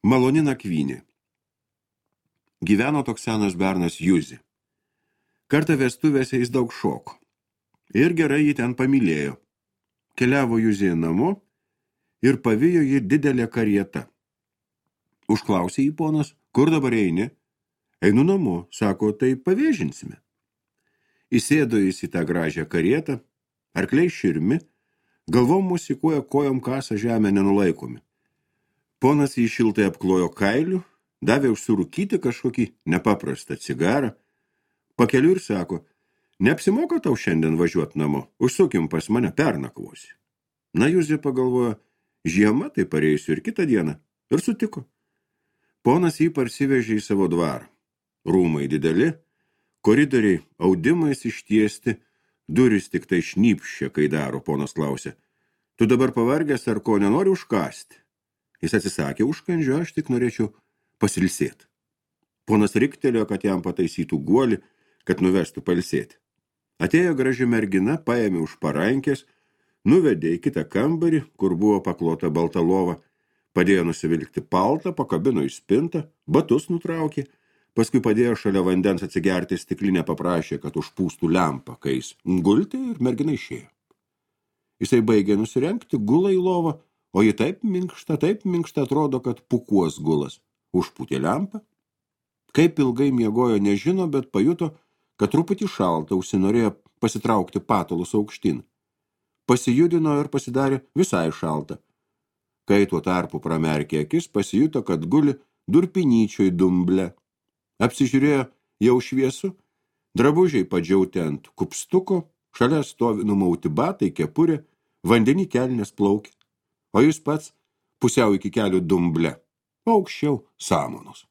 Maloni nakvynė. Gyveno toks senas bernas Juzi. Kartą vestuvėse jis daug šoko. Ir gerai jį ten pamylėjo. Keliavo Juzi namo ir pavijo jį didelė karieta. Užklausė jį ponas, kur dabar eini? Einu namo, sako, tai pavėžinsime. Įsėdo jis į tą gražią karietą, arkliai širmi, galvom musikuoja, kojom kasa žemę nenulaikomi. Ponas jį šiltai apklojo kailiu, davė užsirūkyti kažkokį nepaprastą cigarą, pakeliu ir sako, neapsimoka tau šiandien važiuoti namo, užsukim pas mane, pernakvosi. Na, Juzė pagalvojo, žiema, tai pareisiu ir kitą dieną, ir sutiko. Ponas jį parsivežė į savo dvarą. Rūmai dideli, koridoriai audimais ištiesti, durys tik tai šnypščia, kai daro, ponas klausė. Tu dabar pavargęs ar ko nenori užkasti? Jis atsisakė užkandžio, aš tik norėčiau pasilsėti. Ponas riktelėjo, kad jam pataisytų guolį, kad nuvestų pailsėti. Atėjo graži mergina, paėmė už parankės, nuvedė į kitą kambarį, kur buvo paklota balta lova, padėjo nusivilkti paltą, pakabino į spintą, batus nutraukė, paskui padėjo šalia vandens atsigerti stiklinę, paprašė, kad užpūstų lempą, kai jis gultė ir mergina išėjo. Jisai baigė nusirengti, gula į lovą, o ji taip minkšta atrodo, kad pukuos gulas. Užpūtė lempą. Kaip ilgai miegojo nežino, bet pajuto, kad truputį šalta, užsinorėjo pasitraukti patalus aukštyn. Pasijudino ir pasidarė visai šalta. Kai tuo tarpu pramerkė akis, pasijuto, kad guli durpinyčioj dumble. Apsižiūrėjo jau šviesu, drabužiai padžiauti ant kupstuko, šalia stovi numauti batai, kepurė, vandenį kelnės plaukė, o jis pats pusiau iki kelių dumble, aukščiau samanos.